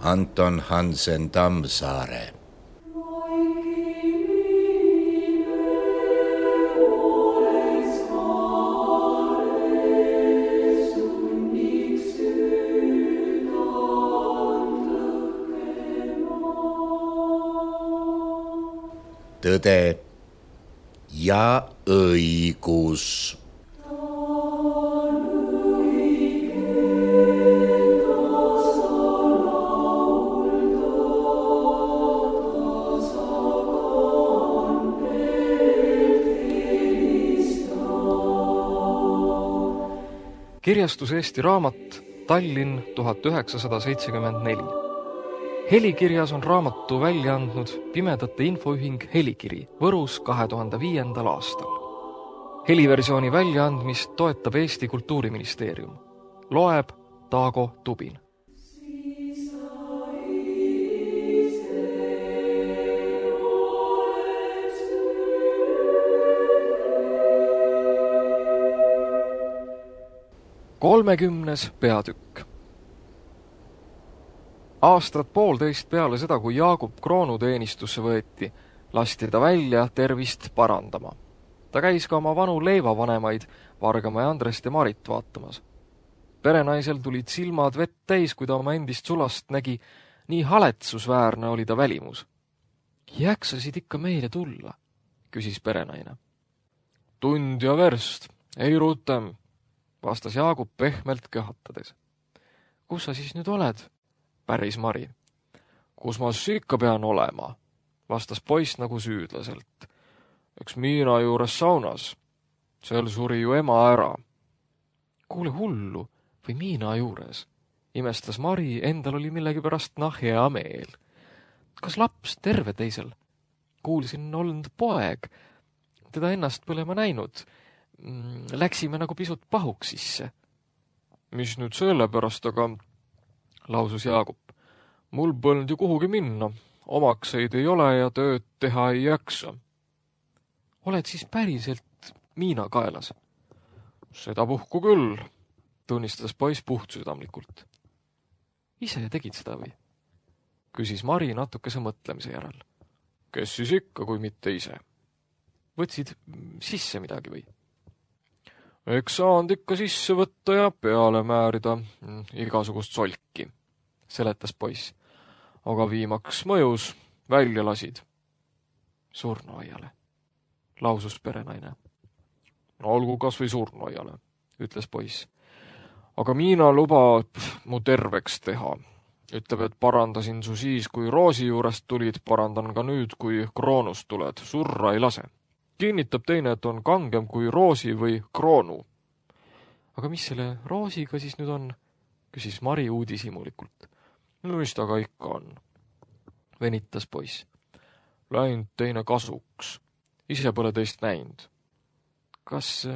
Anton Hansen Tammsaare. Tõde ja õigus. Kirjastus Eesti Raamat, Tallinn 1974. Helikirjas on raamatu välja andnud Pimedate Infoühing Helikiri Võrus 2005. aastal. Heliversiooni väljaandmist toetab Eesti Kultuuriministeerium. Loeb Taago Tubin. Kolmekümnes peatükk. Aastat poolteist peale seda, kui Jaagup kroonuteenistusse võeti, lasti ta välja tervist parandama. Ta käis ka oma vanu leivavanemaid, Vargamäe Andrest ja Marit vaatamas. Perenaisel tulid silmad vett täis, kui ta oma endist sulast nägi, nii haletsusväärne oli ta välimus. Jäksasid ikka meile tulla, küsis perenaine. Tund ja verst, ei rutem, vastas Jaagup pehmelt köhatades. Kus sa siis nüüd oled? Päris Mari. Kus ma siis ikka pean olema? Vastas poiss nagu süüdlaselt. Eks Miina juures saunas. Seal suri ju ema ära. Kuule hullu, või Miina juures? Imestas Mari, endal oli millegipärast hea meel. Kas laps terve teisel? Kuulsin olnud poeg. Teda ennast põlema näinud. Läksime nagu pisut pahuks sisse. Mis nüüd selle pärast, aga lausus Jaagup. Mul polnud ju kuhugi minna. Omakseid ei ole ja tööd teha ei jaksa. Oled siis päriselt Miina kaelas? Seda puhku küll, tunnistas poiss puhtsüdamlikult. Ise tegid seda või? Küsis Mari natukese mõtlemise järel. Kes siis ikka, kui mitte ise? Võtsid sisse midagi või? Eks saanud ikka sisse võtta ja peale määrida igasugust solki, seletas poiss. Aga viimaks mõjus, välja lasid. Surnuaiale, lausus perenaine. Olgu kas või surnuaiale, ütles poiss. Aga Miina lubab mu terveks teha. Ütleb, et parandasin su siis, kui Roosi juurest tulid, parandan ka nüüd, kui kroonust tuled. Surra ei lase. Kinnitab teine, et on kangem kui Roosi või kroonu. Aga mis selle Roosiga siis nüüd on? Küsis Mari uudishimulikult. No mis ta ka ikka on? Venitas poiss. Läinud teine kasuks. Ise pole teist näinud. Kas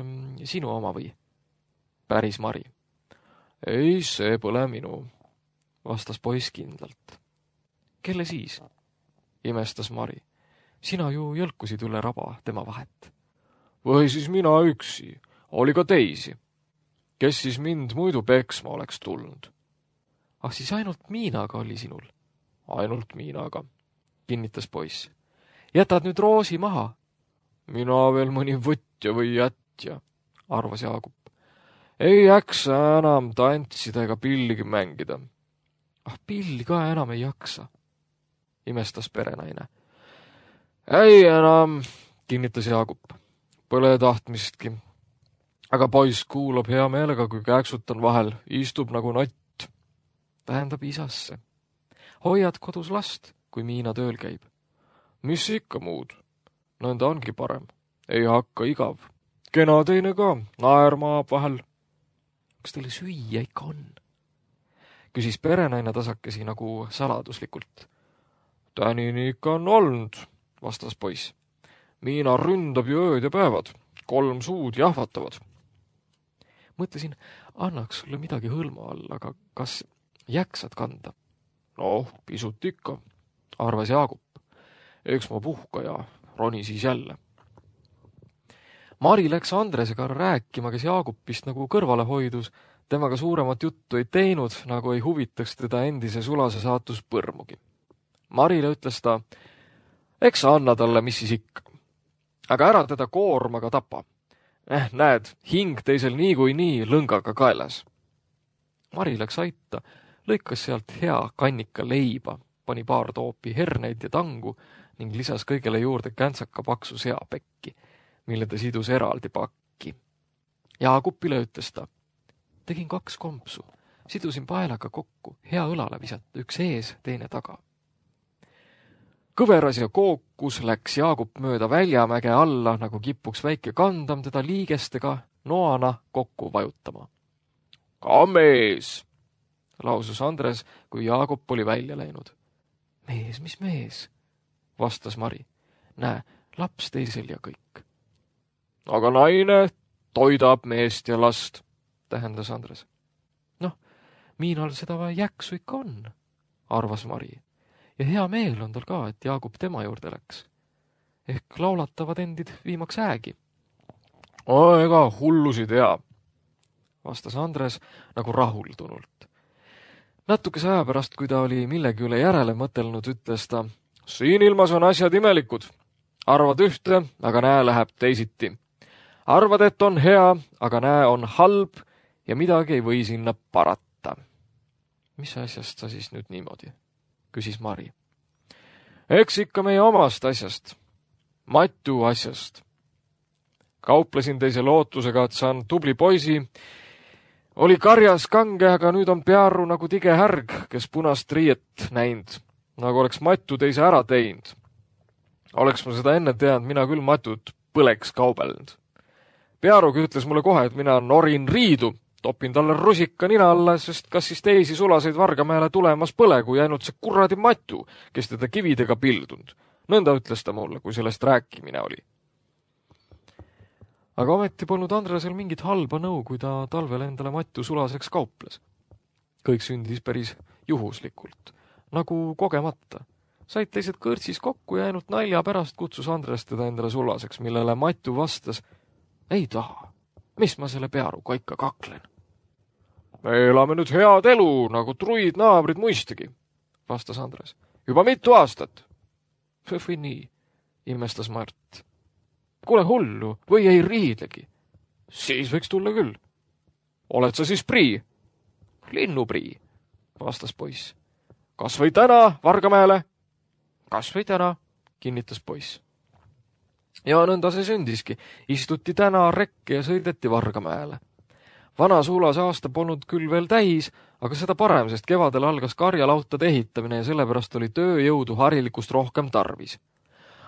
sinu oma või? Päris Mari. Ei, see pole minu, vastas poiss kindlalt. Kelle siis? Imestas Mari. Sina ju jõlkusid üle raba tema vahet. Või siis mina üksi, oli ka teisi. Kes siis mind muidu peksma oleks tulnud? Ah, siis ainult Miinaga oli sinul? Ainult Miinaga, kinnitas poiss. Jätad nüüd Roosi maha? Mina veel mõni võtja või jätja, arvas Jaagup. Ei jaksa enam tantsida ega pilligi mängida. Ah, pilli ka enam ei jaksa, imestas perenaine. Ei enam, kinnitas Jaagup. Pole tahtmistki. Aga poiss kuulab hea meelega, kui kääksutan vahel, istub nagu nott. Tähendab isasse. Hoiad kodus last, kui Miina tööl käib. Mis ikka muud? Nõnda ongi parem. Ei hakka igav. Kena teine ka, naermaab vahel. Kas teile süüa ikka on? Küsis perenaine tasakesi nagu saladuslikult. Tänini ikka on olnud, vastas poiss. Miina ründab ju ööd ja päevad. 3 suud jahvatavad. Mõtlesin, annaks sulle midagi hõlma all, aga kas jaksad kanda? Noh, pisut ikka, arvas Jaagup. Eks ma puhka ja roni siis jälle. Mari läks Andresega rääkima, kes Jaagupist nagu kõrvale hoidus, Temaga suuremat juttu ei teinud, nagu ei huvitaks teda endise sulase saatus põrmugi. Marile ütles ta, eks sa anna talle, mis siis ikka. Aga ära teda koormaga tapa. Näed, hing teisel niikuinii lõngaga kaelas. Mari läks aita, lõikas sealt hea kannika leiba, pani paar toopi herneid ja tangu ning lisas kõigele juurde käntsaka paksu seapekki, mille ta sidus eraldi pakki. Jaagupile ütles ta, tegin 2 kompsu, sidusin paelaga kokku, hea õlale visata, üks ees, teine taga. Kõveras ja kookus läks Jaagup mööda Väljamäge alla, nagu kipuks väike kandam teda liigestega noana kokku vajutama. Ka mees, lausus Andres, kui Jaagup oli välja läinud. Mees, mis mees, vastas Mari. Näe, laps teisel ja kõik. Aga naine toidab meest ja last, tähendas Andres. Noh, Miinal seda jäksu ikka on, arvas Mari. Ja hea meel on tal ka, et Jaagup tema juurde läks. Ehk laulatavad endid viimaks äägi. Ega hullusi tea, vastas Andres nagu rahuldunult. Natukese aja pärast, kui ta oli millegi üle järele mõtelnud, ütles ta, siin ilmas on asjad imelikud. Arvad ühte, aga näe läheb teisiti. Arvad, et on hea, aga näe on halb ja midagi ei või sinna parata. Mis asjast sa siis nüüd niimoodi? Küsis Mari. Eks ikka meie omast asjast. Matu asjast. Kauplesin teise lootusega, et saan tubli poisi. Oli karjas kange, aga nüüd on pearu nagu tige härg, kes punast riiet näinud, nagu oleks Matu teise ära teinud. Oleks ma seda enne teadnud, mina küll Matut põleks kaubelnud. Pearugi ütles mulle kohe, et mina norin riidu, topin talle rusika nina alla, sest kas siis teisi sulaseid Vargamäele tulemas põle, kui ainult see kuradi Matu, kes teda kividega pildunud. Nõnda ütles ta mulle, kui sellest rääkimine oli. Aga ometi polnud Andresel mingit halba nõu, kui ta talvel endale Matu sulaseks kauples. Kõik sündis päris juhuslikult, nagu kogemata. Said teised kõrtsis kokku ja ainult nalja pärast kutsus Andres teda endale sulaseks, millele Matu vastas, ei taha, mis ma selle pearuga ikka kaklen. Me elame nüüd head elu, nagu truid naabrid muistagi, vastas Andres. Juba mitu aastat. Või nii, imestas Mart. Kuule hullu, või ei riidlegi. Siis võiks tulla küll. Oled sa siis prii? Linnuprii, vastas poiss. Kas või täna Vargamäele? Kas või täna, kinnitas poiss. Ja nõnda see sündiski. Istuti täna rekke ja sõideti Vargamäele. Vana sulase aasta polnud küll veel täis, aga seda parem, sest kevadel algas karjalautade ehitamine ja sellepärast oli tööjõudu harilikust rohkem tarvis.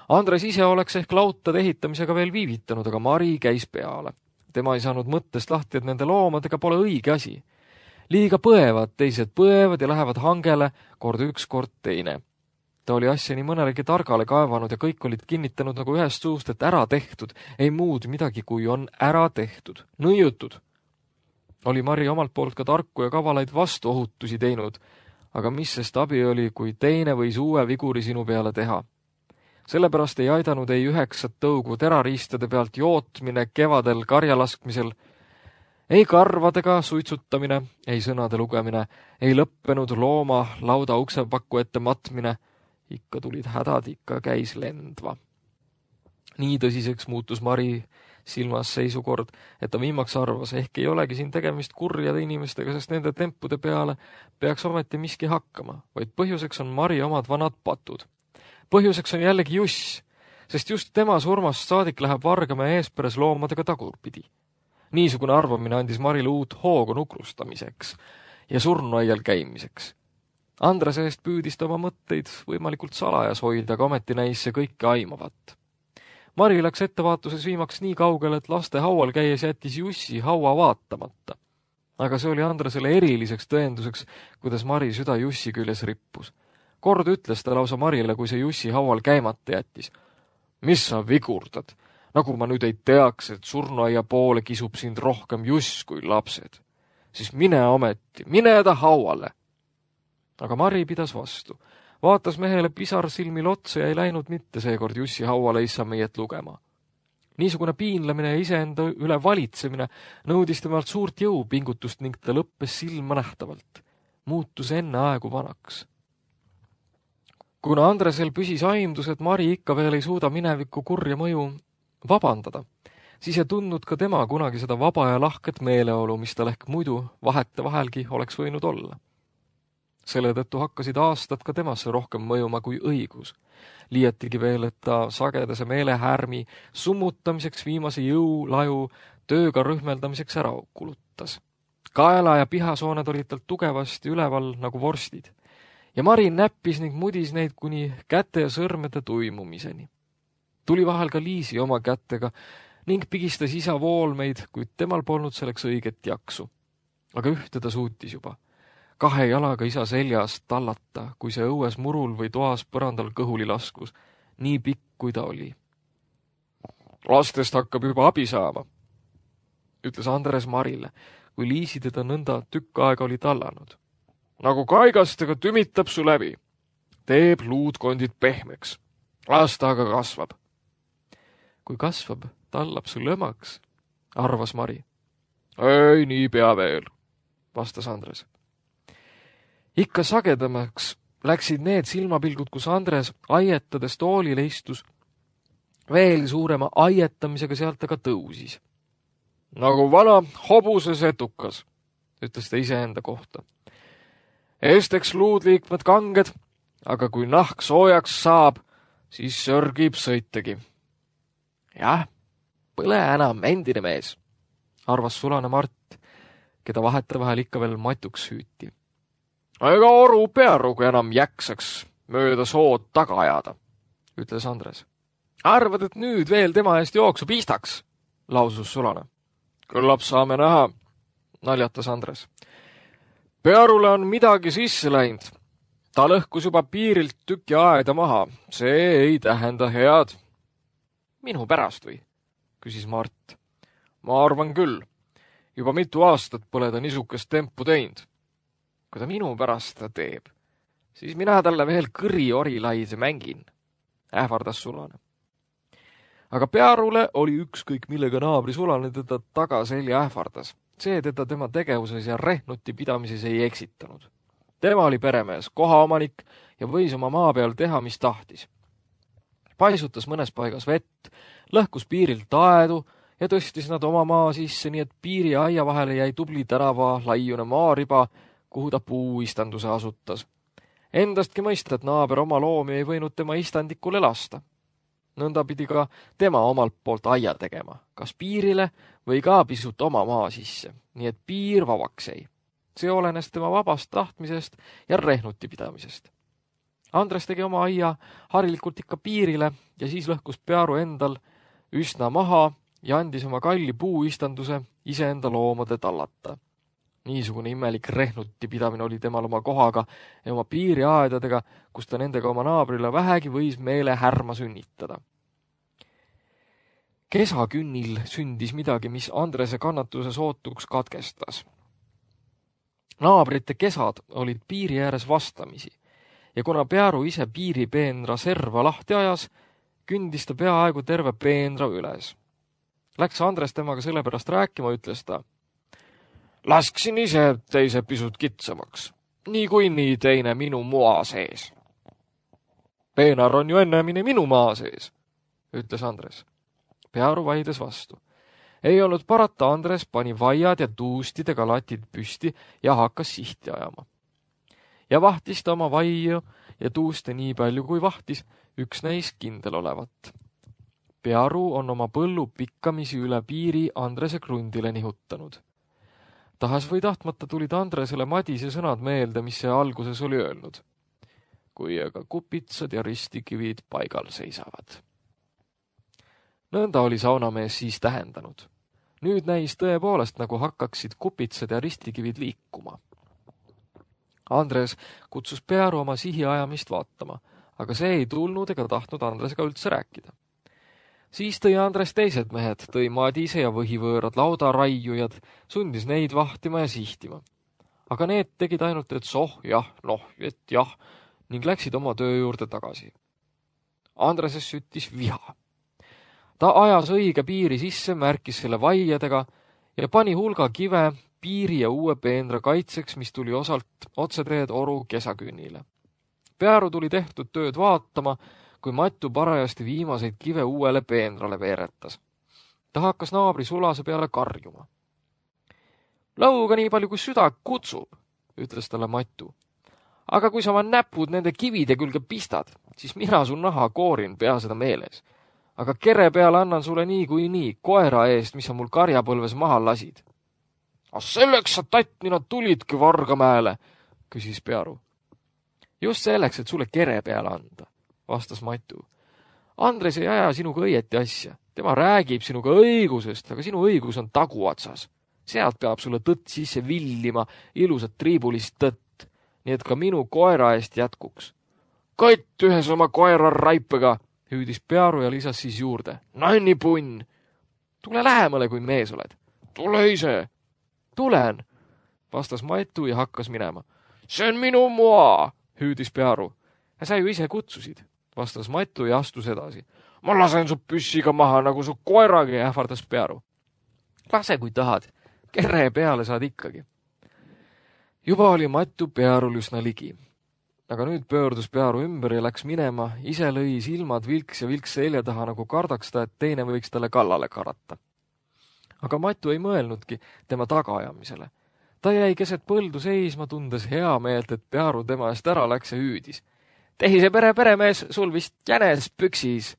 Andres ise oleks ehk lautade ehitamisega veel viivitanud, aga Mari käis peale. Tema ei saanud mõttest lahti, et nende loomadega pole õige asi. Liiga põevad, teised põevad ja lähevad hangele, kord üks, kord teine. Ta oli asja nii mõnelegi targale kaevanud ja kõik olid kinnitanud nagu ühest suust, et ära tehtud, ei muud midagi, kui on ära tehtud, nõiutud. Oli Mari omalt poolt ka tarku ja kavalaid vastuohutusi teinud, aga mis sest abi oli, kui teine võis uue viguri sinu peale teha. Sellepärast ei aidanud ei 9 tõugu terariistade pealt jootmine kevadel karjalaskmisel, ei karvadega suitsutamine, ei sõnade lugemine, ei lõppenud looma lauda uksepakku ette matmine, ikka tulid hädad, ikka käis lendva. Nii tõsiseks muutus Mari silmas seisukord, et ta viimaks arvas, ehk ei olegi siin tegemist kurjade inimestega, sest nende tempude peale peaks ometi miski hakkama, vaid põhjuseks on Mari omad vanad patud. Põhjuseks on jällegi Juss, sest just tema surmast saadik läheb Vargamäe eesperes loomadega tagurpidi. Niisugune arvamine andis Marile uut hoogu nukrustamiseks ja surnuaial käimiseks. Andrese eest püüdis ta oma mõtteid võimalikult salajas hoida, aga ometi näis see kõike aimavat. Mari läks ettevaatuses viimaks nii kaugele, et laste haual käies jättis Jussi haua vaatamata. Aga see oli Andresele eriliseks tõenduseks, kuidas Mari süda Jussi küljes rippus. Kord ütles ta lausa Marile, kui see Jussi haual käimata jättis. Mis sa vigurdad? Nagu ma nüüd ei teaks, et surnuaia poole kisub sind rohkem Juss kui lapsed. Siis mine ometi, mine ta hauale. Aga Mari pidas vastu. Vaatas mehele pisar silmil otsa ja ei läinud mitte seekord Jussi hauale issa meiet lugema. Niisugune piinlemine ja iseenda üle valitsemine nõudis temalt suurt jõupingutust ning ta lõppes silmanähtavalt. Muutus enne aegu vanaks. Kuna Andresel püsis aimdus, et Mari ikka veel ei suuda mineviku kurja mõju vabandada, siis ei tundnud ka tema kunagi seda vaba ja lahket meeleolu, mis tal ehk muidu vahetevahelgi oleks võinud olla. Selle tõttu hakkasid aastad ka temasse rohkem mõjuma kui õigus. Liiatigi veel, et ta sagedase meelehärmi summutamiseks viimase jõulaju tööga rühmeldamiseks ära kulutas. Kaela ja pihasooned olid tal tugevasti üleval nagu vorstid. Ja Mari näppis ning mudis neid kuni käte ja sõrmede tuimumiseni. Tuli vahel ka Liisi oma kätega ning pigistas isa voolmeid, kuid temal polnud selleks õiget jaksu. Aga ühte ta suutis juba. 2 jalaga isa seljas tallata, kui see õues murul või toas põrandal kõhuli laskus, nii pikk kui ta oli. Lastest hakkab juba abi saama, ütles Andres Marile, kui Liisi teda nõnda tükk aega oli tallanud. Nagu kaigastega tümitab su läbi. Teeb luudkondid pehmeks. Las ta aga kasvab. Kui kasvab, tallab su lõmaks, arvas Mari. Ei, nii pea veel, vastas Andres. Ikka sagedamaks läksid need silmapilgud, kus Andres aietades toolile istus. Veel suurema aietamisega sealt aga tõusis. Nagu vana hobuse setukas, ütles ta iseenda kohta. Esteks luudliikmed kanged, aga kui nahk soojaks saab, siis sörgib sõitegi. Jah, põle enam endine mees, arvas sulane Mart, keda vahetevahel ikka veel matuks hüüti. Ega oru pearugu enam jäksaks mööda sood taga ajada, ütles Andres. Arvad, et nüüd veel tema eest jooksu pistaks, lausus sulane. Küllap saame näha, naljatas Andres. Pearule on midagi sisse läinud. Ta lõhkus juba piirilt tüki aeda maha. See ei tähenda head. Minu pärast või? Küsis Mart. Ma arvan küll. Juba mitu aastat pole ta niisugust tempu teinud. Kui ta minu pärast ta teeb, siis mina talle veel kõri-orilaise mängin, ähvardas sulane. Aga Pearule oli ükskõik, millega naabri sulane teda tagaselja ähvardas. See teda tema tegevuses ja rehnuti pidamises ei eksitanud. Tema oli peremees, kohaomanik ja võis oma maa peal teha, mis tahtis. Paisutas mõnes paigas vett, lõhkus piirilt aedu ja tõstis nad oma maa sisse, nii et piiri ja aia vahele jäi tubli tänava laiune maariba, kuhu ta puuistanduse asutas. Endastki mõista, et naaber oma loomi ei võinud tema istandikule lasta. Nõnda pidi ka tema omalt poolt aia tegema, kas piirile või ka pisut oma maa sisse, nii et piir vabaks jäi. See olenes tema vabast tahtmisest ja rehnuti pidamisest. Andres tegi oma aia harilikult ikka piirile ja siis lõhkus Pearu endal üsna maha ja andis oma kalli puuistanduse iseenda loomade tallata. Niisugune imelik rehnuti pidamine oli temal oma kohaga ja oma piiriaedadega, kus ta nendega oma naabrile vähegi võis meele härma sünnitada. Kesakünnil sündis midagi, mis Andrese kannatuse sootuks katkestas. Naabrite kesad olid piiri ääres vastamisi ja kuna Pearu ise piiripeenra serva lahti ajas, kündis ta peaaegu terve peenra üles. Läks Andres temaga sellepärast rääkima, ütles ta. Lasksin ise teise pisut kitsamaks, nii teine minu moa sees. Peenar on ju ennemini minu maa sees, ütles Andres. Pearu vaides vastu. Ei olnud parata, Andres pani vaiad ja tuustidega latid püsti ja hakkas sihti ajama. Ja vahtis ta oma vaiu ja tuuste nii palju, kui vahtis, üks neis kindel olevat. Pearu on oma põllu pikkamisi üle piiri Andrese krundile nihutanud. Tahas või tahtmata tulid Andresele Madise sõnad meelde, mis see alguses oli öelnud. Kui aga kupitsad ja ristikivid paigal seisavad. Nõnda oli saunamees siis tähendanud. Nüüd näis tõepoolest, nagu hakkaksid kupitsad ja ristikivid liikuma. Andres kutsus Pearu oma sihi ajamist vaatama, aga see ei tulnud ega tahtnud Andresega üldse rääkida. Siis tõi Andres teised mehed, tõi Madise ja võhivõõrad laudaraiujad, sundis neid vahtima ja sihtima. Aga need tegid ainult, et jah, et jah, ning läksid oma töö juurde tagasi. Andreses süttis viha. Ta ajas õige piiri sisse, märkis selle vaiadega ja pani hulga kive piiri ja uue peenra kaitseks, mis tuli osalt otseteed oru kesakünnile. Pearu tuli tehtud tööd vaatama, kui Matu parajasti viimaseid kive uuele peenrale veeretas. Ta hakkas naabri sulase peale karjuma. Lõuga nii palju, kui süda kutsub, ütles talle Matu. Aga kui sa oma näpud nende kivide külge pistad, siis mina su naha koorin, pea seda meeles. Aga kere peale annan sulle nii koera eest, mis sa mul karjapõlves maha lasid. Selleks sa tattnina tulidki Vargamäele, küsis Pearu. Just selleks, et sulle kere peale anda, vastas Matu. Andres ei aja sinuga õieti asja. Tema räägib sinuga õigusest, aga sinu õigus on taguotsas. Sealt peab sulle tõtt sisse villima, ilusat triibulist tõtt, nii et ka minu koera eest jätkuks. Kott ühes oma koera raipega, hüüdis Pearu ja lisas siis juurde. Nannipunn! Tule lähemale, kui mees oled. Tule ise! Tulen, vastas Matu ja hakkas minema. See on minu moa, hüüdis Pearu. Sa ju ise kutsusid, vastas Matu ja astus edasi. Ma lasen su püssiga maha, nagu su koeragi, ähvardas Pearu. Lase, kui tahad. Kere peale saad ikkagi. Juba oli Matu Pearul üsna ligi. Aga nüüd pöördus Pearu ümber ja läks minema, ise lõi silmad vilks ja vilks selja taha, nagu kardaks ta, et teine võiks talle kallale karata. Aga Matu ei mõelnudki tema tagaajamisele. Ta jäi keset põldu seisma, tundes hea meelt, et Pearu tema eest ära läks ja hüüdis. Tehise peremees, sul vist jänes püksis.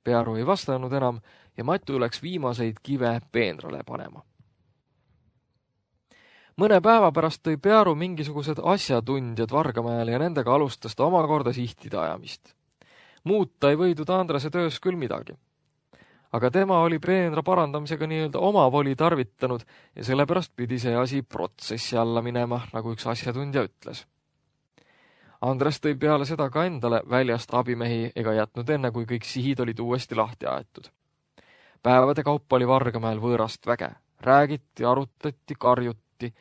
Pearu ei vastanud enam ja Matu läks viimaseid kive peenrale panema. Mõne päeva pärast tõi Pearu mingisugused asjatundjad Vargamäele ja nendega alustas ta omakorda sihtide ajamist. Muuta ei võidud Andrese töös küll midagi. Aga tema oli peenra parandamisega nii-öelda oma voli tarvitanud ja sellepärast pidi see asi protsessi alla minema, nagu üks asjatundja ütles. Andres tõi peale seda ka endale väljast abimehi ega jätnud enne, kui kõik sihid olid uuesti lahti aetud. Päevade kaupa oli Vargamäel võõrast väge. Räägiti, arutati, karjuti.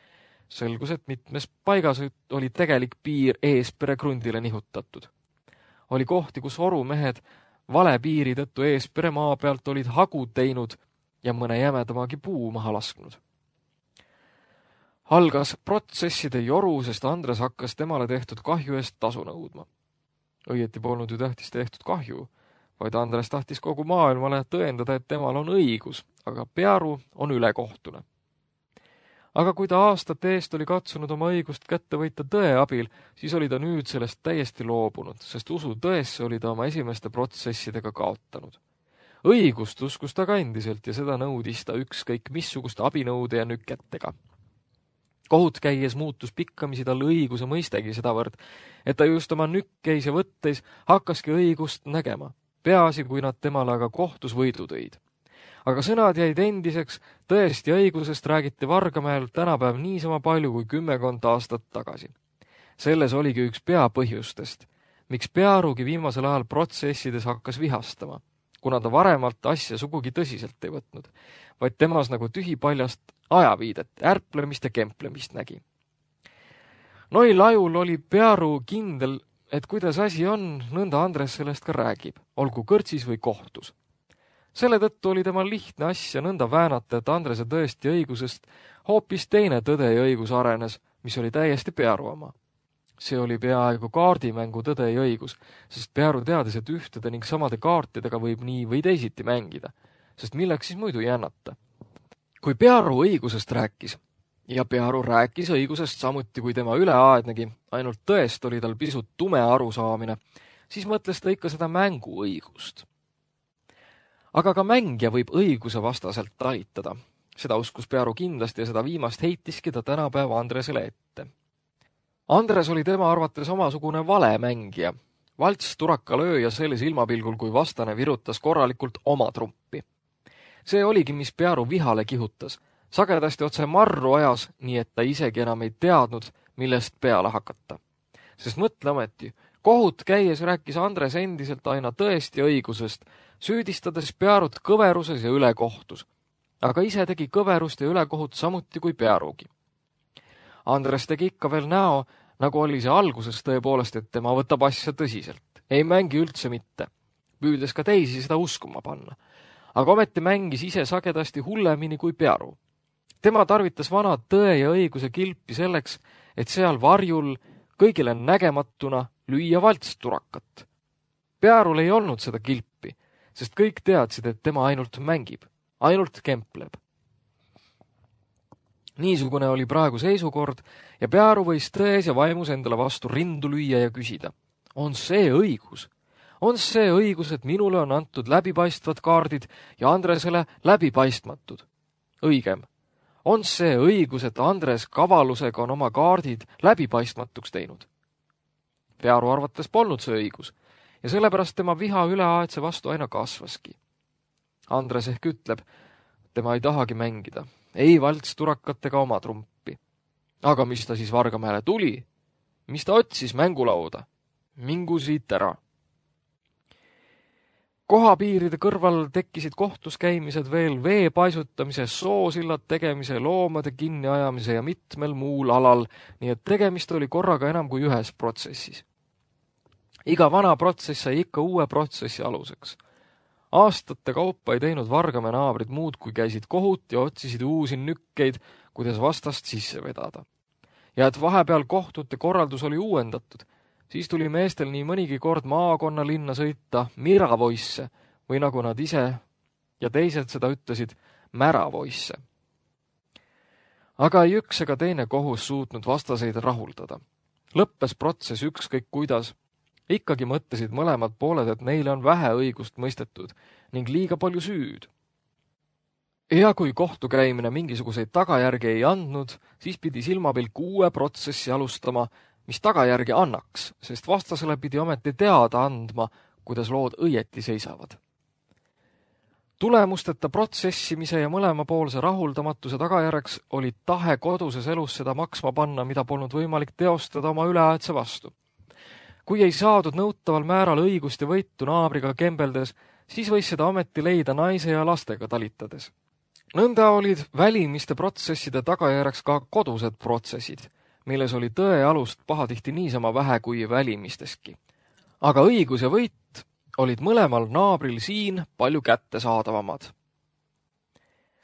Selgus, et mitmes paigas oli tegelik piir Eespere krundile nihutatud. Oli kohti, kus orumehed vale piiri tõttu Eespere maa pealt olid hagud teinud ja mõne jämedamagi puu maha lasknud. Algas protsesside joru, sest Andres hakkas temale tehtud kahju eest tasu nõudma. Õieti polnud ju tähtis tehtud kahju, vaid Andres tahtis kogu maailmale tõendada, et temal on õigus, aga Pearu on ülekohtune. Aga kui ta aastate eest oli katsunud oma õigust kätte võita tõe abil, siis oli ta nüüd sellest täiesti loobunud, sest usu tõesse oli ta oma esimeste protsessidega kaotanud. Õigust uskus ta ka endiselt ja seda nõudis ta ükskõik missuguste abinõude ja nüketega. Kohut käies muutus pikkamisi tal õiguse mõistegi sedavõrd, et ta just oma nükkeis ja võtteis hakkaski õigust nägema, peaasi kui nad temale aga kohtus võidu tõid. Aga sõnad jäid endiseks, tõesti õigusest räägiti Vargamäel tänapäev niisama palju kui 10 aastat tagasi. Selles oligi üks peapõhjustest, miks Pearugi viimasel ajal protsessides hakkas vihastama, kuna ta varemalt asja sugugi tõsiselt ei võtnud, vaid temas nagu tühipaljast ajaviidet, ärplemist ja kemplemist nägi. Noil ajul oli Pearu kindel, et kuidas asi on, nõnda Andres sellest ka räägib, olgu kõrtsis või kohtus. Selle tõttu oli temal lihtne asja nõnda väänata, et Andrese tõesti õigusest hoopis teine tõde ja õigus arenes, mis oli täiesti Pearu oma. See oli peaaegu kaardimängu tõde ja õigus, sest Pearu teadis, et ühtede ning samade kaartidega võib nii või teisiti mängida, sest milleks siis muidu jännata. Kui Pearu õigusest rääkis, ja Pearu rääkis õigusest samuti kui tema üleaednegi, ainult tõest oli tal pisut tume arusaamine, siis mõtles ta ikka seda mänguõigust. Aga ka mängija võib õiguse vastaselt talitada. Seda uskus Pearu kindlasti ja seda viimast heitiski ta tänapäeva Andresele ette. Andres oli tema arvates omasugune valemängija, valts turakalööja selles ilmapilgul, kui vastane virutas korralikult oma trumpi. See oligi, mis Pearu vihale kihutas, sagedasti otse marru ajas, nii et ta isegi enam ei teadnud, millest peale hakata. Sest mõtle ometi, kohut käies rääkis Andres endiselt aina tõesti õigusest, süüdistades Pearut kõveruses ja ülekohtus, aga ise tegi kõverust ja ülekohut samuti kui Pearugi. Andres tegi ikka veel näo, nagu oli see alguses tõepoolest, et tema võtab asja tõsiselt. Ei mängi üldse mitte. püüdes ka teisi seda uskuma panna. Aga ometi mängis ise sagedasti hullemini kui Pearu. Tema tarvitas vana tõe ja õiguse kilpi selleks, et seal varjul kõigile nägematuna lüüa valtsturakat. Pearul ei olnud seda kilpi, sest kõik teadsid, et tema ainult mängib, ainult kempleb. Niisugune oli praegu seisukord ja Pearu võis tões ja vaimus endale vastu rindu lüüa ja küsida. On see õigus? On see õigus, et minule on antud läbipaistvad kaardid ja Andresele läbipaistmatud? Õigem. On see õigus, et Andres kavalusega on oma kaardid läbipaistmatuks teinud? Pearu arvates polnud see õigus ja sellepärast tema viha üleaetse vastu aina kasvaski. Andres ehk ütleb, tema ei tahagi mängida, ei valtsturakat ega oma trumpi. Aga mis ta siis Vargamäele tuli? Mis ta otsis mängulauda? Mingu siit ära. Kohapiiride kõrval tekkisid kohtus käimised veel vee paisutamise, soosillad tegemise, loomade kinniajamise ja mitmel muul alal, nii et tegemist oli korraga enam kui ühes protsessis. Iga vana protsess sai ikka uue protsessi aluseks. Aastate kaupa ei teinud Vargamäe naabrid muud, kui käisid kohut ja otsisid uusi nükkeid, kuidas vastast sisse vedada. Ja et vahepeal kohtute korraldus oli uuendatud, siis tuli meestel nii mõnigi kord maakonna linna sõita miravoisse või nagu nad ise ja teised seda ütlesid, märavoisse. Aga ei üks ega teine kohus suutnud vastaseid rahuldada. Lõppes protsess ükskõik kuidas. Ikkagi mõtlesid mõlemad pooled, et neile on vähe õigust mõistetud ning liiga palju süüd. Ja kui kohtukäimine mingisuguseid tagajärgi ei andnud, siis pidi silmapilk uue protsessi alustama, mis tagajärgi annaks, sest vastasele pidi ometi teada andma, kuidas lood õieti seisavad. Tulemusteta protsessimise ja mõlemapoolse rahuldamatuse tagajärjeks oli tahe koduses elus seda maksma panna, mida polnud võimalik teostada oma üleaetse vastu. Kui ei saadud nõutaval määral õigust ja võitu naabriga kembeldes, siis võis seda ometi leida naise ja lastega talitades. Nõnda olid välimiste protsesside tagajärjeks ka kodused protsessid, milles oli tõe alust pahatihti niisama vähe kui välimisteski. Aga õigus ja võit olid mõlemal naabril siin palju kättesaadavamad.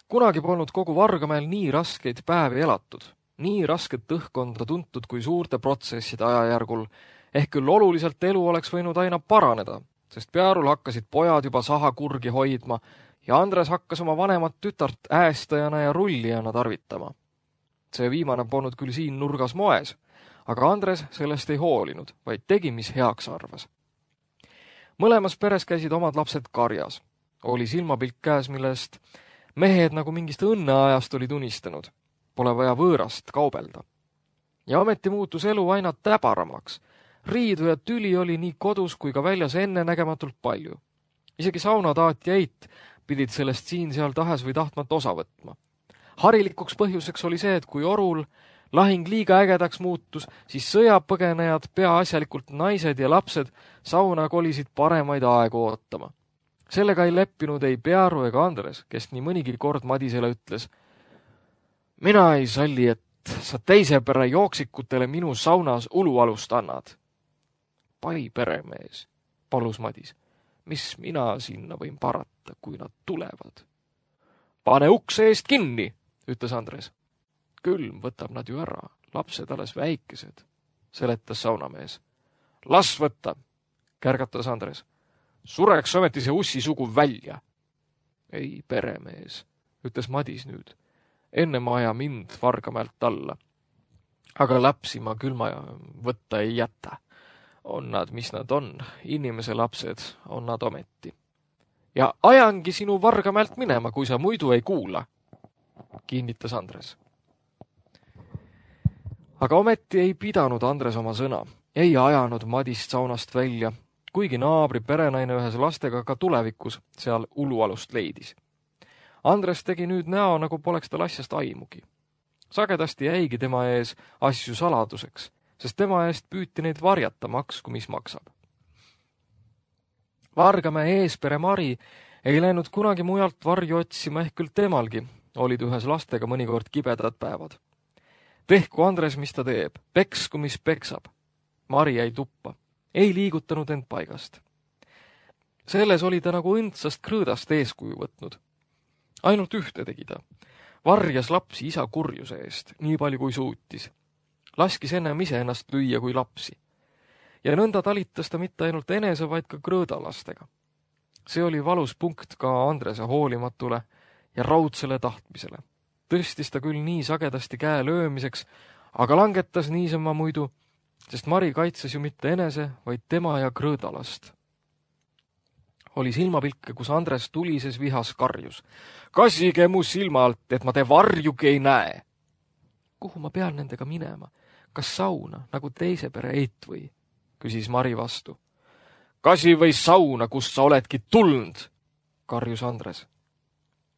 Kunagi polnud kogu Vargamäel nii raskeid päevi elatud, nii rasket õhkkonda tuntud kui suurte protsesside ajajärgul, ehk küll oluliselt elu oleks võinud aina paraneda, sest Pearul hakkasid pojad juba sahakurgi hoidma ja Andres hakkas oma vanemat tütart äästajana ja rullijana tarvitama. See viimane polnud küll siin nurgas moes, aga Andres sellest ei hoolinud, vaid tegi, mis heaks arvas. Mõlemas peres käisid omad lapsed karjas. Oli silmapilk käes, millest mehed nagu mingist õnneajast olid unistanud. Pole vaja võõrast kaubelda. Ja ometi muutus elu aina täbaramaks. Riidu ja tüli oli nii kodus kui ka väljas ennenägematult palju. Isegi saunataat ja eit pidid sellest siin-seal tahes või tahtmat osa võtma. Harilikuks põhjuseks oli see, et kui orul lahing liiga ägedaks muutus, siis sõjapõgenejad, peaasjalikult naised ja lapsed, sauna kolisid paremaid aegu ootama. Sellega ei leppinud ei Pearu ega Andres, kes nii mõnigi kord Madisele ütles, mina ei salli, et sa teise pere jooksikutele minu saunas ulualust annad. Pai peremees, palus Madis, mis mina sinna võin parata, kui nad tulevad? Pane ukse eest kinni, ütles Andres. Külm võtab nad ju ära, lapsed alles väikesed, seletas saunamees. Las võtta, kärgatas Andres. Sureks ometi see ussisugu välja. Ei, peremees, ütles Madis nüüd. Enne ma aja mind Vargamäelt alla. Aga lapsi ma külma võtta ei jäta. On nad, mis nad on, inimese lapsed on nad ometi. Ja ajangi sinu Vargamäelt minema, kui sa muidu ei kuula, kinnitas Andres. Aga ometi ei pidanud Andres oma sõna, ei ajanud Madist saunast välja, kuigi naabri perenaine ühes lastega ka tulevikus seal ulualust leidis. Andres tegi nüüd näo, nagu poleks tal asjast aimugi. Sagedasti jäigi tema ees asju saladuseks, sest tema eest püüti neid varjata, maksku mis maksab. Vargamäe eespere Mari ei läinud kunagi mujalt varju otsima, ehk küll temalgi olid ühes lastega mõnikord kibedad päevad. Tehku Andres, mis ta teeb, peksku, mis peksab. Mari jäi tuppa, ei liigutanud end paigast. Selles oli ta nagu õndsast krõõdast eeskuju võtnud. Ainult ühte tegi ta. Varjas lapsi isa kurjuse eest, nii palju kui suutis. Laskis ennem ise ennast lüüa kui lapsi. Ja nõnda talitas ta mitte ainult enese, vaid ka krõõdalastega. See oli valus punkt ka Andrese hoolimatule ja raudsele tahtmisele. Tõstis ta küll nii sagedasti käe löömiseks, aga langetas niisama muidu, sest Mari kaitses ju mitte enese, vaid tema ja krõõdalast. Oli silmapilke, kus Andres tulises vihas karjus. Kassige mu silma alt, et ma te varjugi ei näe. Kuhu ma pean nendega minema? Kas sauna, nagu teise pere eit või? Küsis Mari vastu. Kasi või sauna, kust sa oledki tulnud, karjus Andres.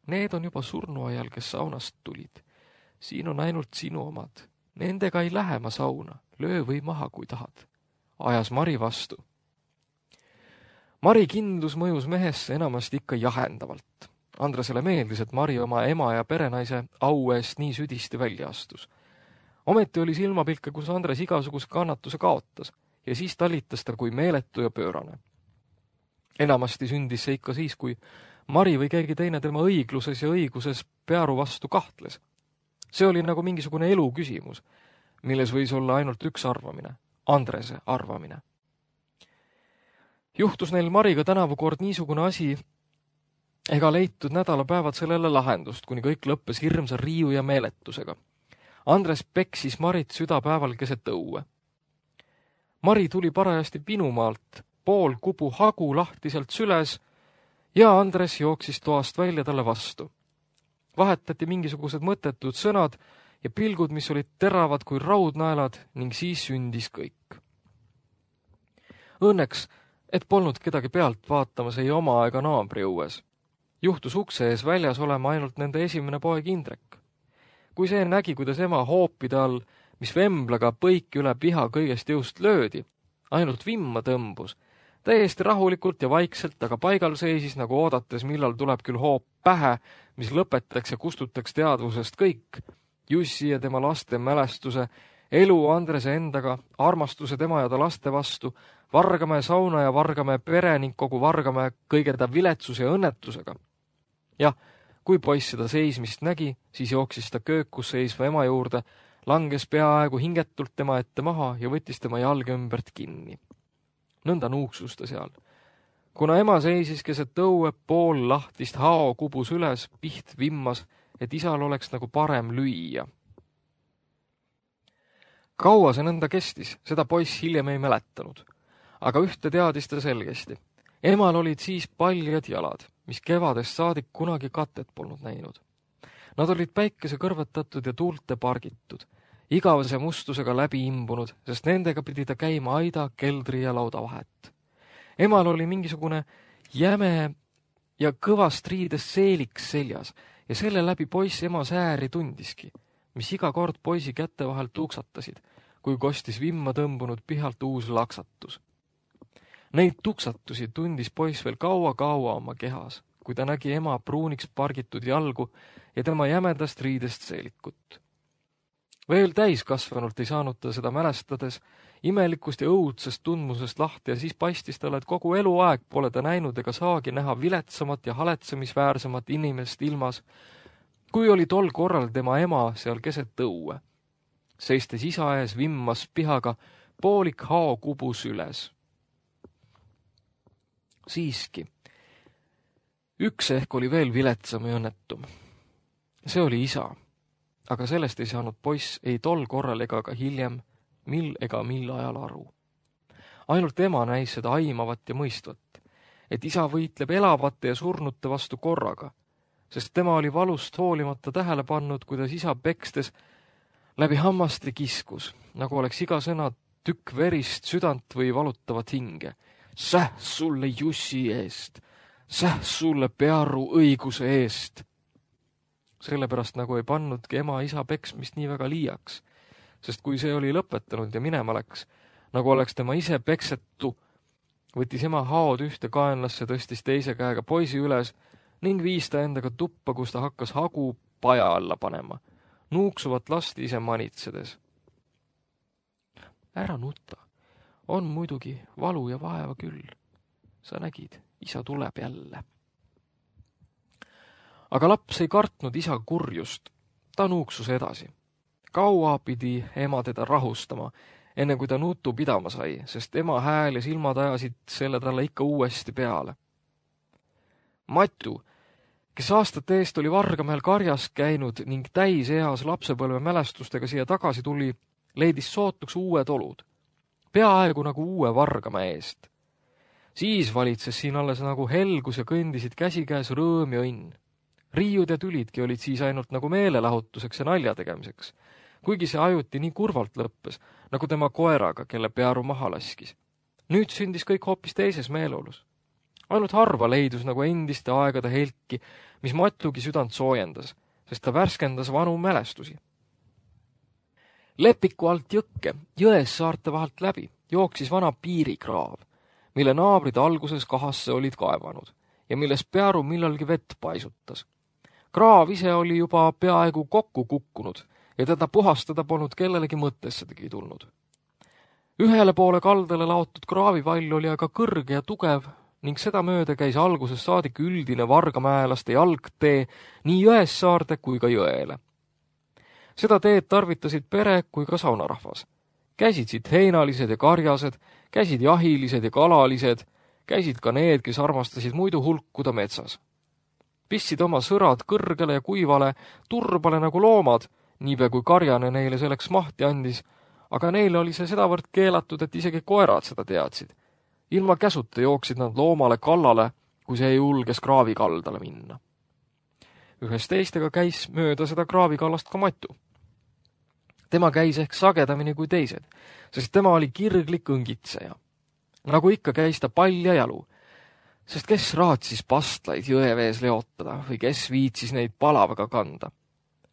Need on juba surnuajal, kes saunast tulid. Siin on ainult sinu omad. Nendega ei lähe ma sauna. Löö või maha, kui tahad. Ajas Mari vastu. Mari kindlus mõjus mehesse enamasti ikka jahendavalt. Andresele meeldis, et Mari oma ema ja perenaise au eest nii südisti välja astus. Ometi oli silmapilke, kus Andres igasuguse kannatuse kaotas ja siis talitas ta kui meeletu ja pöörane. Enamasti sündis see ikka siis, kui Mari või keegi teine tema õigluses ja õiguses Pearu vastu kahtles. See oli nagu mingisugune elu küsimus, milles võis olla ainult üks arvamine, Andrese arvamine. Juhtus neil Mariga tänavukord niisugune asi, ega leitud nädalapäevad sellele lahendust, kuni kõik lõppes hirmsa riiu ja meeletusega. Andres peksis Marit südapäeval keset õue. Mari tuli parajasti Pinumaalt, pool kubu hagu lahtiselt süles ja Andres jooksis toast välja talle vastu. Vahetati mingisugused mõttetud sõnad ja pilgud, mis olid teravad kui raudnaelad ning siis sündis kõik. Õnneks, et polnud kedagi pealt vaatamas ei oma ega naabri õues. Juhtus ukse ees väljas olema ainult nende esimene poeg Indrek. Kui see nägi, kuidas ema hoopide all, mis vemblaga põiki üle piha kõigest jõust löödi, ainult vimma tõmbus, täiesti rahulikult ja vaikselt, aga paigal seisis, nagu oodates, millal tuleb küll hoop pähe, mis lõpetaks ja kustutaks teadvusest kõik, Jussi ja tema laste mälestuse, elu Andrese endaga, armastuse tema ja ta laste vastu, Vargamäe sauna ja Vargamäe pere ning kogu Vargamäe kõige ta viletsuse ja õnnetusega. Jah, kui poiss seda seismist nägi, siis jooksis ta köökus seisva ema juurde, langes peaaegu hingetult tema ette maha ja võttis tema jalge ümbert kinni. Nõnda nuuksus ta seal. Kuna ema seisis keset õue, pool lahtist hao kubus üles, piht vimmas, et isal oleks nagu parem lüüa. Kaua see nõnda kestis, seda poiss hiljem ei mäletanud. Aga ühte teadis ta selgesti. Emal olid siis paljad jalad, mis kevadest saadik kunagi katet polnud näinud. Nad olid päikese kõrvetatud ja tuulte pargitud, igavese mustusega läbi imbunud, sest nendega pidi ta käima aida, keldri ja lauda vahet. Emal oli mingisugune jäme ja kõvast riidest seeliks seljas ja selle läbi poiss ema sääri tundiski, mis iga kord poisi kätte vahel tuksatasid, kui kostis vimma tõmbunud pihalt uus laksatus. Neid tuksatusi tundis poiss veel kaua oma kehas, kui ta nägi ema pruuniks pargitud jalgu ja tema jämedast riidest seelikut. Veel täiskasvanult ei saanud ta seda mälestades imelikust ja õudsest tundmusest lahti ja siis paistis talle, et kogu eluaeg pole ta näinud ega saagi näha viletsamat ja haletsemisväärsemat inimest ilmas, kui oli tol korral tema ema seal keset õue. Seistes isa ees vimmas pihaga poolik hao kubus üles. Siiski, üks ehk oli veel viletsam ja õnnetum. See oli isa, aga sellest ei saanud poiss ei tol korral ega ka hiljem, mil ajal aru. Ainult ema näis seda aimavat ja mõistvat, et isa võitleb elavate ja surnute vastu korraga, sest tema oli valust hoolimata tähele pannud, kuidas isa pekstes läbi hammaste kiskus, nagu oleks iga sõna tükk verist südant või valutavat hinge. Säh sulle Jussi eest, säh sulle Pearu õiguse eest. Sellepärast nagu ei pannudki ema isa peksmist nii väga liiaks, sest kui see oli lõpetanud ja minema läks, nagu oleks tema ise peksetu, võttis ema haod ühte kaenlasse, tõstis teise käega poisi üles ning viis ta endaga tuppa, kus ta hakkas hagu paja alla panema, nuuksuvat last ise manitsedes. Ära nuta. On muidugi valu ja vaeva küll. Sa nägid, isa tuleb jälle. Aga laps ei kartnud isa kurjust. Ta nuuksus edasi. Kaua pidi ema teda rahustama, enne kui ta nutu pidama sai, sest ema hääl ja silmad ajasid selle talle ikka uuesti peale. Matu, kes aastate eest oli Vargamäel karjas käinud ning täiseas lapsepõlve mälestustega siia tagasi tuli, leidis sootuks uued olud. Peaaegu nagu uue Vargamäe eest. Siis valitses siin alles nagu helgus ja kõndisid käsikäes rõõm ja õnn. Riiud ja tülidki olid siis ainult nagu meelelahutuseks ja nalja tegemiseks, kuigi see ajuti nii kurvalt lõppes, nagu tema koeraga, kelle Pearu maha laskis. Nüüd sündis kõik hoopis teises meeleolus. Ainult harva leidus nagu endiste aegade helki, mis Matugi südant soojendas, sest ta värskendas vanu mälestusi. Lepiku alt jõkke, jões saarte vahelt läbi, jooksis vana piirikraav, mille naabrid alguses kahasse olid kaevanud ja milles Pearu millalgi vett paisutas. Kraav ise oli juba peaaegu kokku kukkunud ja teda puhastada polnud kellelegi mõttessedegi tulnud. Ühele poole kaldale laotud kraavivall oli aga kõrge ja tugev ning seda mööda käis alguses saadik üldine vargamäelaste jalgtee nii Jõessaarde kui ka jõele. Seda teed tarvitasid pere kui ka saunarahvas. Käisid siit heinalised ja karjased, käisid jahilised ja kalalised, käisid ka need, kes armastasid muidu hulkuda metsas. Pistsid oma sõrad kõrgele ja kuivale, turbale nagu loomad, niipea kui karjane neile selleks mahti andis, aga neile oli see sedavõrd keelatud, et isegi koerad seda teadsid. Ilma käsuta jooksid nad loomale kallale, kui see julges kraavikaldale minna. Ühes teistega käis mööda seda kraavikallast ka Matu. Tema käis ehk sagedamini kui teised, sest tema oli kirglik õngitseja. Nagu ikka käis ta palja jalu, sest kes raatsis pastlaid jõevees leotada või kes viitsis neid palavaga kanda.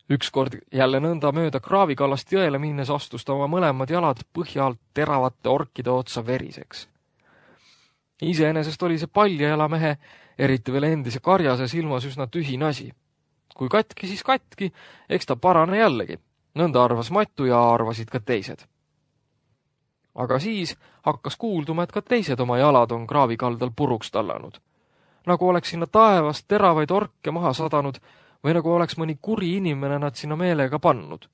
Ükskord jälle nõnda mööda kraavikallast jõele minnes astus ta oma mõlemad jalad põhja alt teravate orkide otsa veriseks. Iseenesest oli see paljajala mehe, eriti veel endise karjase silmas üsna tühine asi. Kui katki, siis katki, eks ta parane jällegi. Nõnda arvas Matu ja arvasid ka teised. Aga siis hakkas kuulduma, et ka teised oma jalad on kraavikaldal puruks tallanud. Nagu oleks sinna taevast teravaid orke maha sadanud või nagu oleks mõni kuri inimene nad sinna meelega pannud.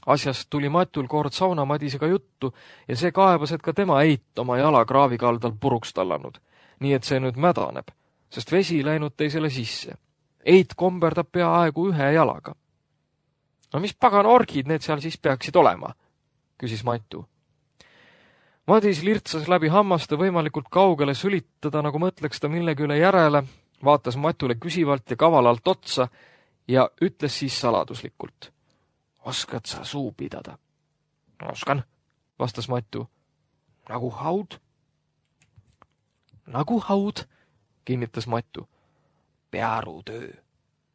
Asjast tuli Matul kord sauna Madisega juttu ja see kaebas, et ka tema eit oma jala kraavikaldal puruks tallanud, nii et see nüüd mädaneb, sest vesi läinud teisele sisse. Eit komberdab peaaegu ühe jalaga. No mis pagan orgid need seal siis peaksid olema, küsis Matu. Madis lirtsas läbi hammaste võimalikult kaugele sülitada, nagu mõtleks ta millegi üle järele, vaatas Matule küsivalt ja kavalalt otsa ja ütles siis saladuslikult. Oskad sa suu pidada? Oskan, vastas Matu. Nagu haud? Nagu haud, kinnitas Matu. Pearu töö,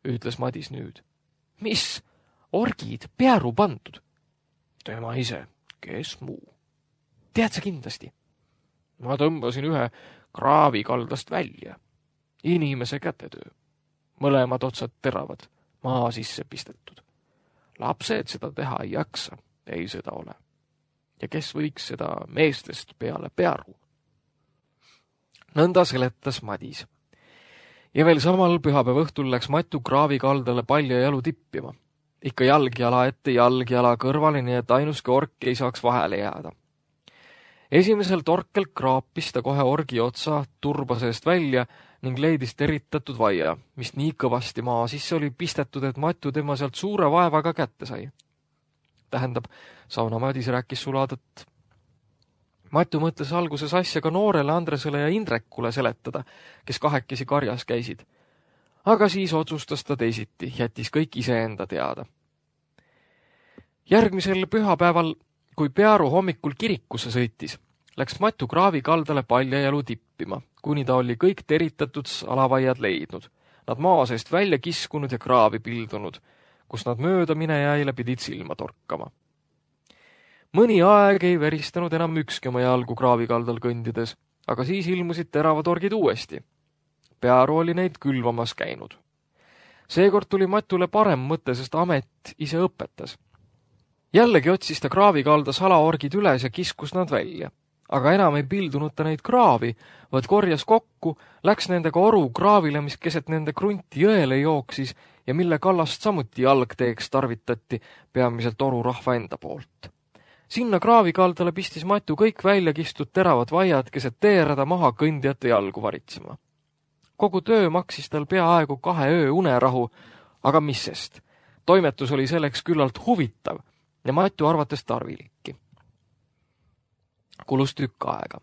ütles Madis nüüd. Mis? Orgid pearu pandud? Tema ise, kes muu? Tead sa kindlasti? Ma tõmbasin ühe kraavikaldast välja. Inimese kätetöö. Mõlemad otsad teravad, maa sisse pistetud. Lapsed seda teha ei jaksa, ei seda ole. Ja kes võiks seda meestest peale pearu? Nõnda seletas Madis. Ja veel samal pühapäeva õhtul läks Matu kraavikaldale palja jalu tippima. Ikka jalgjala ette, jalgjala kõrvale, nii et ainuske ork ei saaks vahele jääda. Esimesel torkel kraapis ta kohe orgi otsa turba seest välja ning leidis teritatud vaia, mis nii kõvasti maa sisse oli pistetud, et Matu tema sealt suure vaevaga kätte sai. Tähendab, sauna Madis rääkis suladat. Matu mõtles alguses asja ka noorele Andresele ja Indrekule seletada, kes kahekesi karjas käisid. Aga siis otsustas ta teisiti, jättis kõik iseenda teada. Järgmisel pühapäeval, kui Pearu hommikul kirikusse sõitis, läks Matu kraavikaldale paljajalu tippima, kuni ta oli kõik teritatud salavaiad leidnud, nad maa seest välja kiskunud ja kraavi pildunud, kus nad mööda minejaile pidid silma torkama. Mõni aeg ei veristanud enam ükski oma jalgu kraavikaldal kõndides, aga siis ilmusid teravad orgid uuesti. Pearu oli neid külvamas käinud. Seekord tuli Matule parem mõte, sest amet ise õpetas. Jällegi otsis ta kraavikalda salaorgid üles ja kiskus nad välja. aga enam ei pildunud ta neid kraavi, vaid korjas kokku, läks nendega oru kraavile, mis keset nende krunti jõele jooksis ja mille kallast samuti jalgteeks tarvitati peamiselt oru rahva enda poolt. Sinna kraavikaldale pistis Matu kõik välja kistud teravad vaiad keset teerada maha kõndijate jalgu varitsema. Kogu töö maksis tal peaaegu 2 öö unerahu, aga mis sest? Toimetus oli selleks küllalt huvitav ja Matu arvates tarvilikki. Kulus tükk aega.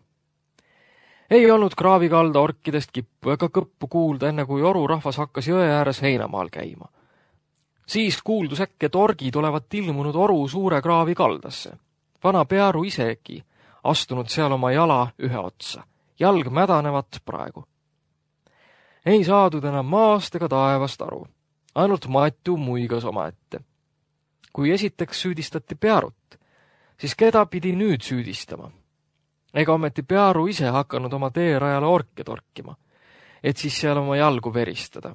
Ei olnud kraavikalda orkidest kippu ega kõppu kuulda, enne kui oru rahvas hakkas jõe ääres heinamaal käima. Siis kuuldus äkki, et orgid olevat ilmunud oru suure kraavi kaldasse. Vana Pearu isegi astunud seal oma jala ühe otsa. Jalg mädanevat praegu. Ei saadud enam maast ega taevast aru. Ainult Matu muigas omaette. Kui esiteks süüdistati Pearut, siis keda pidi nüüd süüdistama? Ega ometi Pearu ise hakanud oma teerajale orke torkima, et siis seal oma jalgu veristada.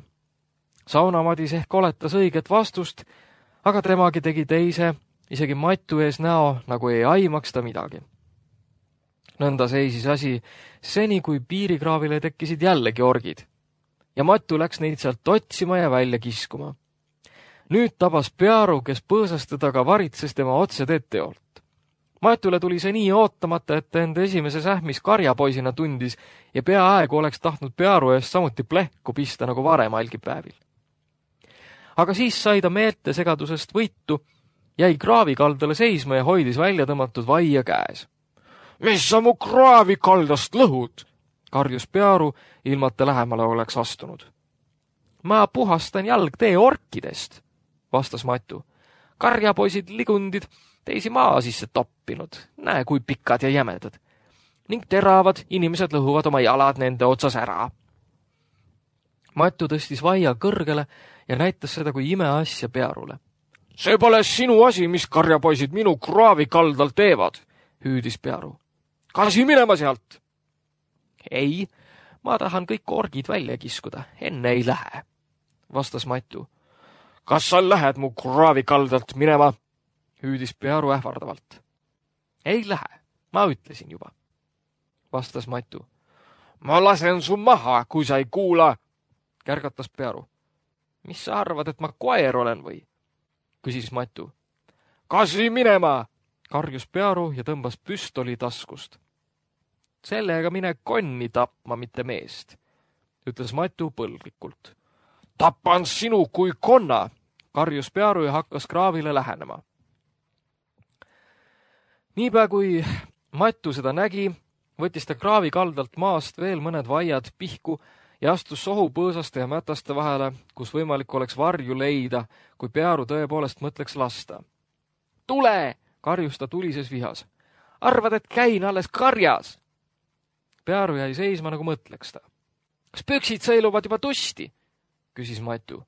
Saunamadis ehk oletas õiget vastust, aga temagi tegi teise, isegi Matu ees näo, nagu ei aimaks ta midagi. Nõnda seisis asi seni, kui piirikraavile tekkisid jällegi orgid. Ja Matu läks neid sealt otsima ja välja kiskuma. Nüüd tabas Pearu, kes põõsas teda ka varitses tema otse teeteolt. Matule tuli see nii ootamata, et enda esimese sähmis karjapoisina tundis ja peaaegu oleks tahtnud Pearu eest samuti plehku pista nagu varem algipäevil. Aga siis sai ta meelte segadusest võitu, jäi kraavikaldale seisma ja hoidis välja tõmmatud vaia käes. Mis sa mu kraavikaldast lõhud? Karjus Pearu, ilmata lähemale oleks astunud. Ma puhastan jalgtee orkidest, vastas Matu. Karjapoisid ligundid teisi maa sisse toppinud, näe kui pikad ja jämedad. Ning teravad inimesed lõhuvad oma jalad nende otsas ära. Matu tõstis vaia kõrgele ja näitas seda kui imeasja Pearule. See pole sinu asi, mis karjapoisid minu kraavikaldal teevad, hüüdis Pearu. Kasi minema sealt! Ei, ma tahan kõik orgid välja kiskuda, enne ei lähe, vastas Matu. Kas sa lähed mu kraavikaldalt minema? Hüüdis Pearu ähvardavalt. Ei lähe, ma ütlesin juba, vastas Matu. Ma lasen su maha, kui sa ei kuula, kärgatas Pearu. Mis sa arvad, et ma koer olen või? Küsis Matu. Kasi minema, karjus Pearu ja tõmbas püstoli taskust. Sellega mine konni tapma, mitte meest, ütles Matu põlglikult. Tapan sinu kui konna, karjus Pearu ja hakkas kraavile lähenema. Niipea kui Matu seda nägi, võttis ta kraavikaldalt maast veel mõned vaiad pihku ja astus sohupõõsaste ja mätaste vahele, kus võimalik oleks varju leida, kui Pearu tõepoolest mõtleks lasta. Tule, karjus ta tulises vihas. Arvad, et käin alles karjas? Pearu jäi seisma, nagu mõtleks ta. Kas püksid sõiluvad juba tusti? Küsis Matu.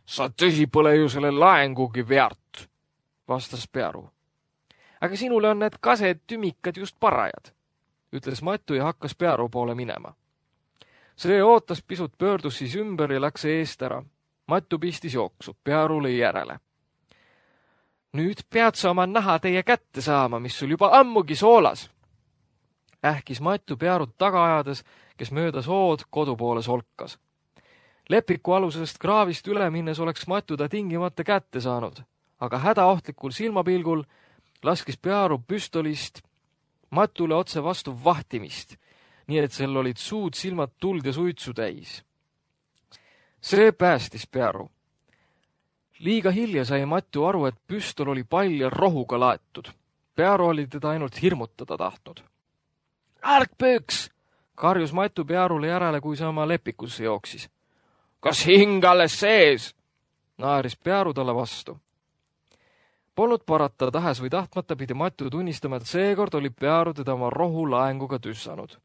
Sa tõsi pole ju selle laengugi väärt, vastas Pearu. Aga sinule on need kased tümikad just parajad, ütles Matu ja hakkas Pearu poole minema. See ootas pisut, pöördus siis ümber ja läks eest ära. Matu pistis jooksu, Pearu lõi järele. Nüüd pead sa oma naha teie kätte saama, mis sul juba ammugi soolas. Ähkis Matu Pearut taga ajades, kes mööda sood kodu poole solkas. Lepiku alusest kraavist üle minnes oleks Matu ta tingimata kätte saanud, aga hädaohtlikul silmapilgul laskis Pearu püstolist Matule otse vastu vahtimist, nii et sel olid suud, silmad, tuld ja suitsu täis. See päästis Pearu. Liiga hilja sai Matu aru, et püstol oli palju rohuga laetud. Pearu oli teda ainult hirmutada tahtnud. Ärkpööks, karjus Matu Pearule järele, kui see oma lepikusse jooksis. Kas hing alles sees? Naeris Pearu talle vastu. Polnud parata, tahes või tahtmata pidi Matu tunnistama, et seekord oli Pearu teda oma rohu laenguga tüssanud.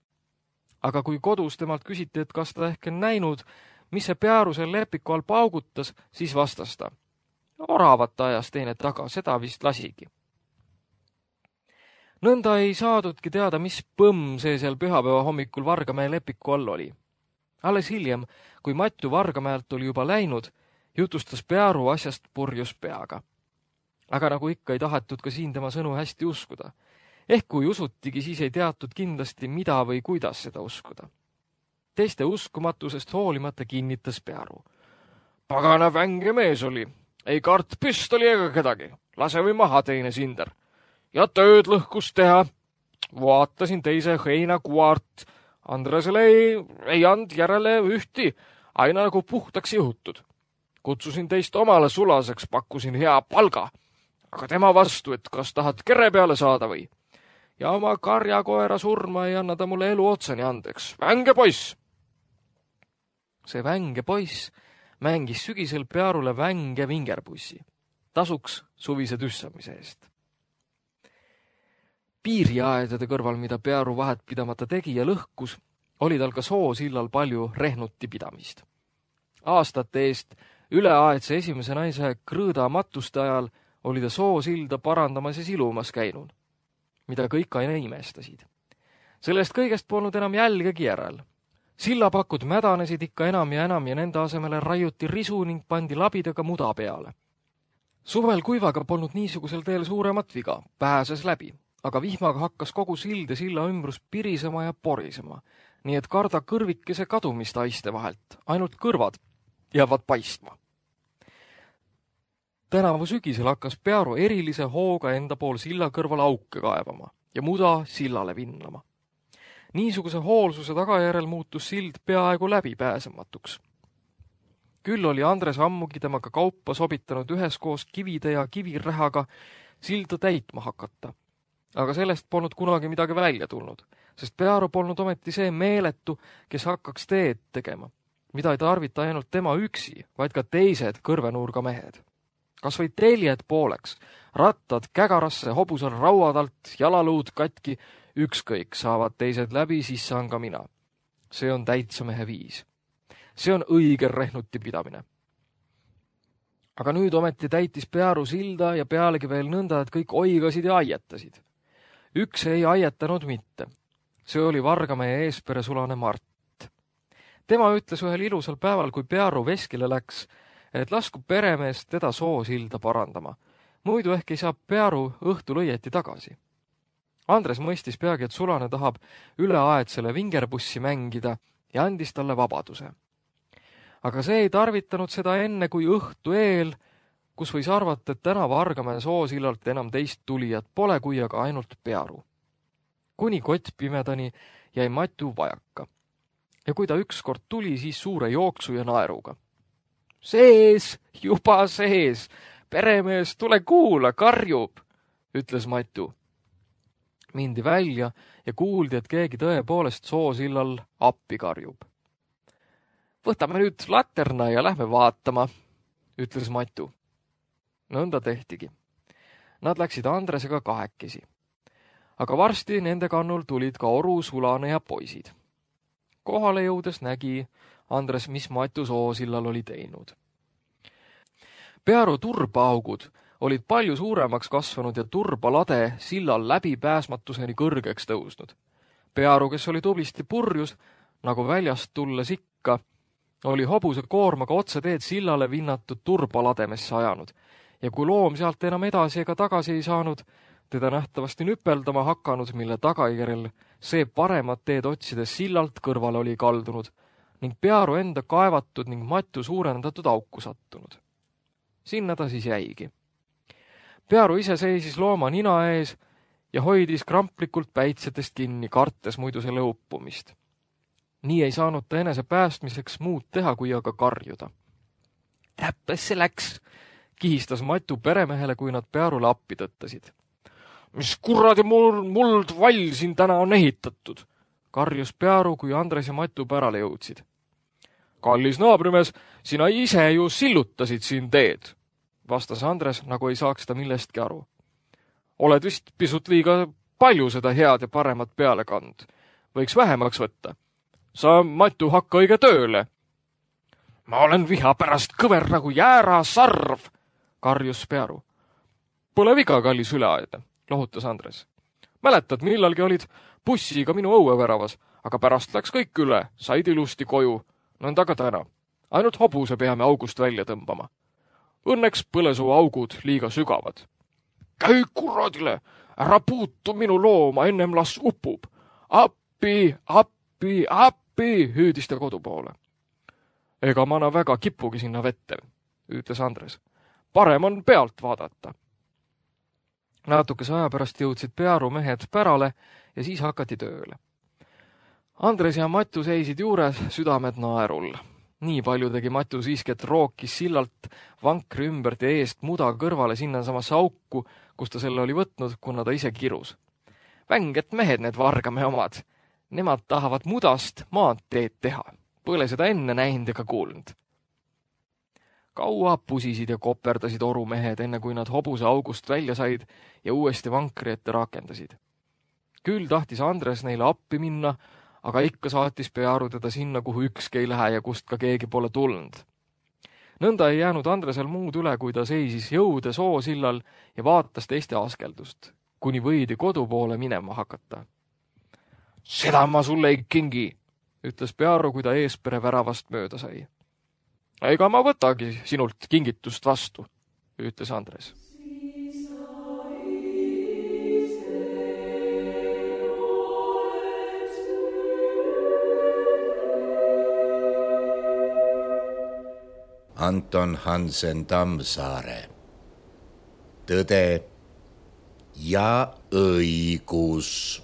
Aga kui kodus temalt küsiti, et kas ta ehk on näinud, mis see Pearu seal lepiku all paugutas, siis vastas ta. Oravat ajas teine taga, seda vist lasigi. Nõnda ei saadudki teada, mis põmm see seal pühapäeva hommikul Vargamäe lepiku all oli. Alles hiljem, kui Matu Vargamäelt oli juba läinud, jutustas Pearu asjast purjus peaga. Aga nagu ikka ei tahetud ka siin tema sõnu hästi uskuda. Ehk kui usutigi, siis ei teatud kindlasti, mida või kuidas seda uskuda. Teiste uskumatusest hoolimata kinnitas Pearu. Pagana vänge mees oli, ei kart püstoli ega kedagi, lase või maha teine sinder. Ja tööd lõhkus teha. Vaatasin teise heinakuart. Andresele ei and järele ühti, aina nagu puhtaks juhutud. Kutsusin teist omale sulaseks, pakkusin hea palga, aga tema vastu, et kas tahad kere peale saada või. Ja oma karjakoera surma ei anna ta mulle elu otsani andeks. Vänge poiss! See vänge poiss mängis sügisel Pearule vänge vingerpussi. Tasuks suvise tüssamise eest. Piiriaedade kõrval, mida Pearu vahet pidamata tegi ja lõhkus, oli tal ka Soosillal palju rehnuti pidamist. Aastate eest üleaedse esimese naise Krõõda matuste ajal oli ta Soosilda parandamas ja silumas käinud, mida kõik aina imestasid. Sellest kõigest polnud enam jälgegi järel. Sillapakud mädanesid ikka enam ja nende asemele raiuti risu ning pandi labidaga muda peale. Suvel kuivaga polnud niisugusel teel suuremat viga, pääses läbi, aga vihmaga hakkas kogu sild ja silla ümbrus pirisema ja porisema, nii et karda kõrvikese kadumist aiste vahelt, ainult kõrvad jäävad paistma. Tänavu sügisel hakkas Pearu erilise hooga enda pool silla kõrval auke kaevama ja muda sillale vinnama. Niisuguse hoolsuse tagajärel muutus sild peaaegu läbipääsematuks. Küll oli Andres ammugi temaga kaupa sobitanud üheskoos kivide ja kivirähaga silda täitma hakata. Aga sellest polnud kunagi midagi välja tulnud, sest Pearu polnud ometi see meeletu, kes hakkaks teed tegema, mida ei tarvita ainult tema üksi, vaid ka teised kõrvenurga mehed. Kas või teljed pooleks, rattad kägarasse, hobusel rauadalt, jalaluud katki, ükskõik saavad teised läbi, siis saan ka mina. See on täitsa mehe viis. See on õige rehnuti pidamine. Aga nüüd ometi täitis Pearu silda ja pealegi veel nõnda, et kõik oigasid ja aietasid. Üks ei aietanud mitte. See oli Vargamehe eespere sulane Mart. Tema ütles ühel ilusal päeval, kui Pearu veskile läks, et lasku peremees teda Soosilda parandama. Muidu ehk ei saa Pearu õhtul õieti tagasi. Andres mõistis peagi, et sulane tahab üleaedsele vingerpussi mängida ja andis talle vabaduse. Aga see ei tarvitanud seda enne kui õhtu eel, kus võis arvata, et täna Vargamäe Soosillalt enam teist tulijat pole, kui aga ainult Pearu. Kuni kott pimedani jäi Matu vajaka. Ja kui ta ükskord tuli, siis suure jooksu ja naeruga. Sees, juba sees, peremees, tule kuula, karjub, ütles Matu. Mindi välja ja kuuldi, et keegi tõepoolest Soosillal appi karjub. Võtame nüüd laterna ja lähme vaatama, ütles Matu. Nõnda tehtigi. Nad läksid Andresega kahekesi. Aga varsti nende kannul tulid ka Oru, Sulane ja poisid. Kohale jõudes nägi Andres, mis Matu Soosillal oli teinud. Pearu turbaaugud olid palju suuremaks kasvanud ja turbalade sillal läbipääsmatuseni kõrgeks tõusnud. Pearu, kes oli tublisti purjus, nagu väljast tulles ikka, oli hobuse koormaga otse teed sillale vinnatud turbalademesse ajanud ja kui loom sealt enam edasi ega tagasi ei saanud, teda nähtavasti nüpeldama hakanud, mille tagajärjel see paremat teed otsides sillalt kõrvale oli kaldunud ning Pearu enda kaevatud ning Matu suurendatud auku sattunud. Sinna ta siis jäigi. Pearu ise seisis looma nina ees ja hoidis kramplikult päitsetest kinni, kartes muidu selle uppumist. Nii ei saanud ta enese päästmiseks muud teha, kui aga karjuda. Täppes see läks, kihistas Matu peremehele, kui nad Pearule appi tõttasid. Mis kuradi muld vall siin täna on ehitatud, karjus Pearu, kui Andres ja Matu pärale jõudsid. Kallis naabrimees, sina ise ju sillutasid siin teed, vastas Andres, nagu ei saaks ta millestki aru. Oled vist pisut liiga palju seda head ja paremat peale kand. Võiks vähemaks võtta. Sa, Matu, hakka õige tööle. Ma olen viha pärast kõver nagu jäärasarv, karjus Pearu. Pole viga, kallis üleaedne, lohutas Andres. Mäletad, millalgi olid bussiga minu õueväravas, aga pärast läks kõik üle, said ilusti koju, nõnda ka täna. Ainult hobuse peame august välja tõmbama. Õnneks põlesuu augud liiga sügavad. Käi kuradile, Ära puutu minu looma, ennem las upub. Appi, appi, appi, hüüdis ta kodu poole. Ega ma väga kipugi sinna vette, ütles Andres. Parem on pealt vaadata. Natukese aja pärast jõudsid Pearu mehed pärale ja siis hakati tööle. Andres ja Matu seisid juures, südamed naerul. Nii palju tegi Matu siiski, et rookis sillalt vankri ümbert ja eest muda kõrvale sinnasamasse auku, kus ta selle oli võtnud, kuna ta ise kirus. Vänged mehed need Vargamäe omad. Nemad tahavad mudast maanteed teha. Pole seda enne näinud ega kuulnud. Kaua pusisid ja koperdasid orumehed, enne kui nad hobuse august välja said ja uuesti vankri ette rakendasid. Küll tahtis Andres neile appi minna, aga ikka saatis Pearu teda sinna, kuhu ükski ei lähe ja kust ka keegi pole tulnud. Nõnda ei jäänud Andresel muud üle, kui ta seisis jõude soosillal ja vaatas teiste askeldust, kuni võidi kodu poole minema hakata. Seda ma sulle ei kingi, ütles Pearu, kui ta eespere väravast mööda sai. Ega ma võtagi sinult kingitust vastu, ütles Andres. Anton Hansen Tammsaare. Tõde ja õigus.